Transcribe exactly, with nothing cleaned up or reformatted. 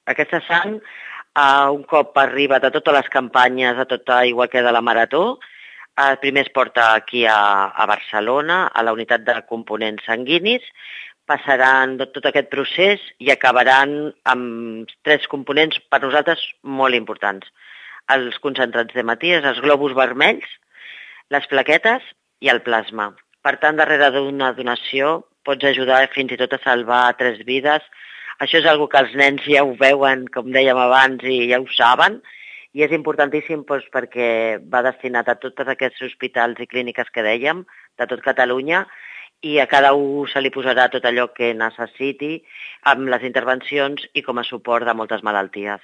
Aquesta sang, uh, un cop arriba de totes les campanyes, a tota, igual que de la Marató, uh, primer es porta aquí a, a Barcelona, a la unitat de components sanguinis, passaran tot aquest procés i acabaran amb tres components per nosaltres molt importants. Els concentrats d'hematies, els glòbuls vermells, les plaquetes i el plasma. Per tant, darrere d'una donació pots ajudar fins i tot a salvar tres vides. Això és una que els nens ja ho veuen, com dèiem abans, i ja ho saben, i és importantíssim doncs, perquè va destinat a tots aquests hospitals i clíniques que dèiem, de tot Catalunya, i a cada un se li posarà tot allò que necessiti amb les intervencions i com a suport de moltes malalties.